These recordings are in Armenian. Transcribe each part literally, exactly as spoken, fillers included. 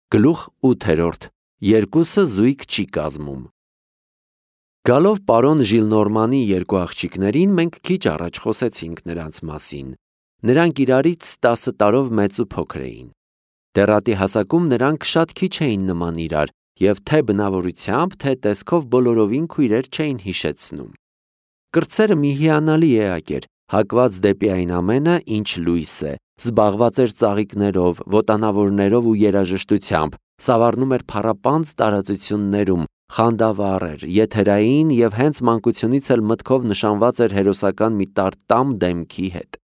Գլուխ ութերորդ. Երկուսը զույգ չի կազմում։ Գալով պարոն Ժիլնորմանի երկու աղջիկներին, մենք քիչ առաջ խոսեցինք նրանց մասին։ Նրանք իրարից տասը տարով մեծ ու փոքր էին։ Դեռատի հասակում նրանք շատ քիչ էին նման իրար և թե բնավորությամբ, թե տեսքով բոլորովին քույրեր չէին հիշեցնում։ Կրտսերը մի հիանալի էակ էր, հակված դեպի այն ամենը, ինչ լույս է, զբաղված էր ծաղիկներով, ոտանավորներով ու երաժշտությամբ, սավառնում էր փառապանծ տարածություններում, խանդավառ էր, եթերային և հենց մանկությունից էլ մտքով նշանված էր հերոսական մի տարտամ դեմքի հետ։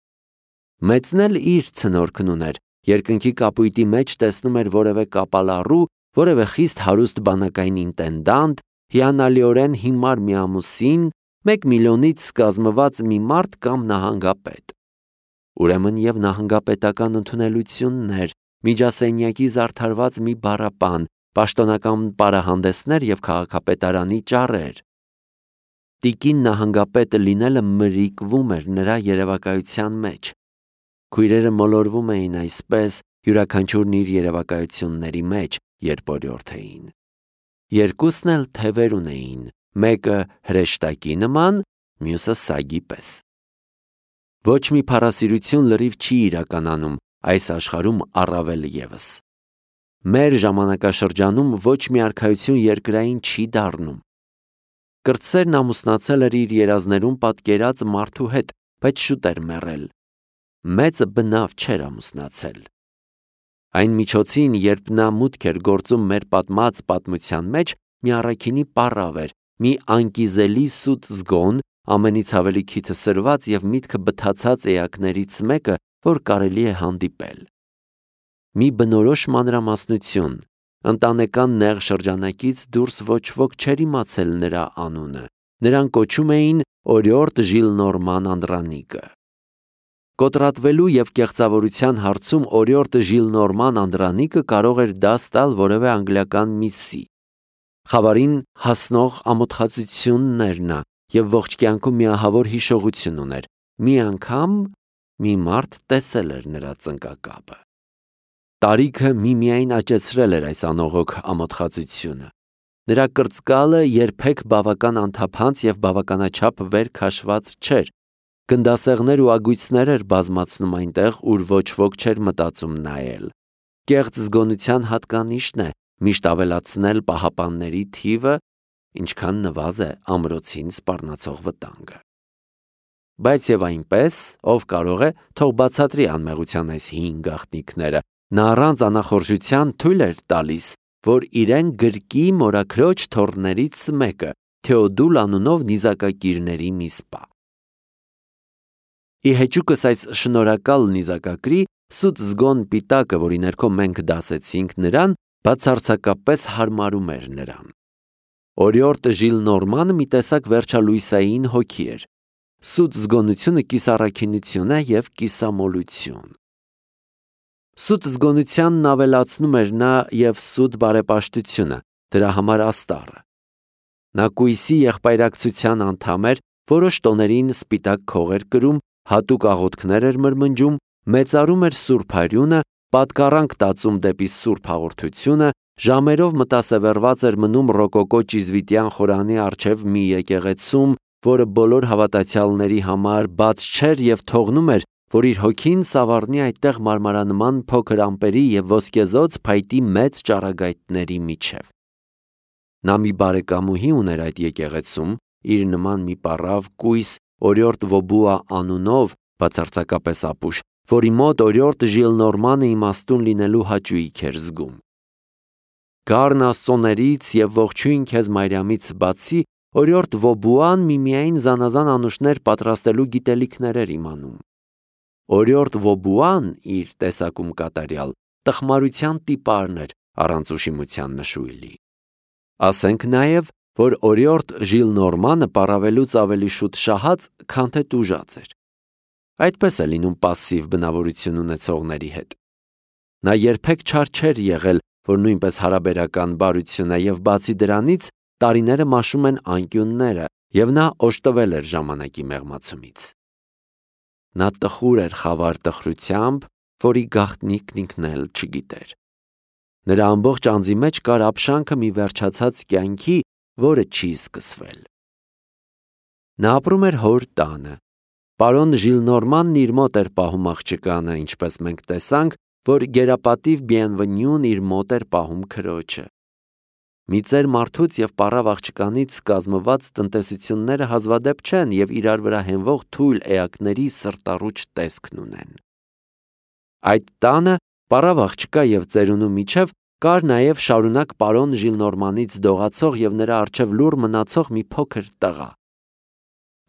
Մեծն էլ իր ցնորքն ուներ, երկնքի կապույտի մեջ տեսնում էր որևէ կապալառու, որևէ խիստ հարուստ բանակային ինտենդանտ, հիանալիորեն հիմար մի ամուսին, մեկ միլիոնից կազմված մի մարդ կամ նահանգապետ։ Ուրեմն և նահանգապետական ընդունելություններ, միջասենյակի զարդարված մի բառապան, պաշտոնական պարահանդեսներ և քաղաքապետարանի ճառեր։ Տիկին նահանգապետը լինելը մրիկվում էր նրա երևակայության մեջ։ Քույրերը մոլորվում էին այսպես, յուրաքանչյուրն իր երևակայությունների մեջ, երբ օրիորդ էին։ Երկուսն էլ թևեր ունեին, մեկը հրեշտակի նման, մյուսը սագի պես։ Ոչ մի փառասիրություն լրիվ չի իրականանում, այս աշխարհում առավել ևս։ Մեր ժամանակաշրջանում ոչ մի արքայություն երկրային չի դառնում։ Կրտսերն ամուսնացել էր իր երազներում պատկերած մարդու հետ, բայց շուտ էր մեռել։ Մեծը բնավ չէր ամուսնացել։ Այն միջոցին, երբ նա մուտք էր գործում մեր պատմած պատմության մեջ, մի առաքինի պառավ էր, մի անկիզելի սուտ զգոն, ամենից ավելի քիթը սրված և միտքը բթացած էակներից մեկը, որ կարելի է հանդիպել։ Մի բնորոշ մանրամասնություն, ընտանեկան նեղ շրջանակից դուրս ոչ ոք չէր իմացել նրա անունը, նրան կոչում էին օրիորդ Ժիլնորման Անդրանիկը։ Կոտրատվելու և կեղծավորության հարցում օրիորդ Ժիլնորման Անդրանիկը կարող էր դաս տալ որևէ անգլիական միսսի։ Խավարին հասնող ամոթխածությունն էր նա և ողջ կյանքում մի ահավոր հիշողություն ուներ։ Մի անգամ մի մարդ տեսել էր նրա ծնկակապը։ Տարիքը միմիայն աճեցրել էր այս անողոք ամոթխածությունը։ Նրա կրծկալը երբեք բավական անթափանց և բավականաչափ վեր քաշված չէր։ Գնդասեղներ ու ագույցներ էր բազմացնում այնտեղ, ուր ոչ ոք չէր մտածում նայել։ Կեղծ զգոնության հատկանիշն է միշտ ավելացնել պահապանների թիվը, ինչքան նվազ է ամրոցին սպառնացող վտանգը։ Բայց և այնպես, ով կարող է, թող բացատրի անմեղության այս հին գաղտնիքները, նա առանց անախորժության թույլ էր տալիս, որ իրեն գրկի մորաքրոջ թոռներից մեկը, Թեոդուլ անունով նիզակակիրների մի սպա։ Ի հեճուկս այս շնորհակալ նիզակակրի, սուտ զգոն պիտակը, որի ներքո մենք դասեցինք նրան, բացարձակապես հարմարում էր նրան։ Օրիորդ Ժիլնորմանը մի տեսակ վերջալույսային հոգի էր։ Սուտ զգոնությունը կիսառաքինություն է և կիսամոլություն։ Սուտ զգոնությանն ավելացնում էր նա և սուտ բարեպաշտությունը, դրա համար աստառը։ Նա կույսի եղբայրակցության անդամ էր, որոշ տոներին սպիտակ քող էր կրում, հատուկ աղոթքներ էր մրմնջում, մեծարում էր սուրբ արյունը, պատկառանք տածում դեպի սուրբ հաղորդությունը, ժամերով մտասևեռված էր մնում ռոկոկո ճիզվիտյան խորանի առջև մի եկեղեցում, որը բոլոր հավատացյալների համար բաց չէր և թողնում էր, որ իր հոգին սավառնի այդտեղ մարմարանման փոքր ամպերի և ոսկեզօծ փայտի մեծ ճառագայթների միջև։ Նա մի բարեկամուհի ուներ այդ եկեղեցում, իր նման մի պառավ կույս օրիորդ Վոբուա անունով, բացարձակապես ապուշ, որի մոտ օրիորդ Ժիլնորմանը իմաստուն լինելու հաճույք էր զգում։ Գառն աստծոներից և ողջույն քեզ Մարիամից բացի, օրիորդ Վոբուան միմիայն զանազան անուշներ պատրաստելու գիտելիքներ էր իմանում։ Օրիորդ Վոբուան իր տեսակում կատարյալ տխմարության տիպարն էր, առանց ուշիմության նշույլի։ Ասենք նաև, որ օրիորդ Ժիլնորմանը պառավելուց ավելի շուտ շահած, քան թե տուժած էր։ Այդպես է լինում պասսիվ բնավորություն ունեցողների հետ։ Նա երբեք չար չէր եղել, որ նույնպես հարաբերական բարություն է, և բացի դրանից տարիները մաշում են անկյունները, և նա օժտվել էր ժամանակի մեղմացումից։ Նա տխուր էր խավար տխրությամբ, որի գաղտնիքն ինքն էլ չգիտեր։ Նրա ամբողջ անձի մեջ կար ապշանքը մի վերջացած կյանքի, որը չի սկսվել։ Նա ապրում էր հոր տանը։ Պարոն Ժիլնորմանն իր մոտ էր պահում աղջկանը, ինչպես մենք տեսանք, որ գերապատիվ Բիենվենյուն իր մոտ էր պահում քրոջը։ Մի ծեր մարդուց և պառավ աղջկանից կազմված տնտեսությունները հազվադեպ չեն և իրար վրա հենվող թույլ էակների սրտառուչ տեսքն ունեն։ Այդ տանը պառավ աղջկա և ծերունու միջև կար նաև շարունակ պարոն Ժիլնորմանից դողացող և նրա առջև լուռ մնացող մի փոքր տղա։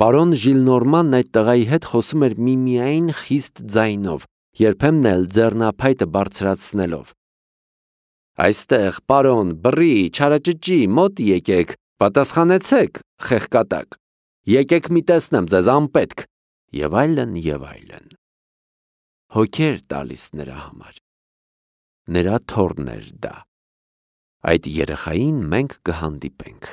Պարոն Ժիլնորմանն այդ տղայի հետ խոսում էր միմիայն խիստ ձայնով, երբեմն էլ ձեռնափայտը բարձրացնելով։ «Այստեղ, պարոն, բռի, չարաճճի, մոտ եկեք, պատասխանեցեք, խեղկատակ, եկեք մի տեսնեմ ձեզ, անպետք» և այլն, և այլն։ Հոգի էր տալիս նրա համար։ Նրա թոռն էր դա։ Այդ երեխային մենք կհանդիպենք։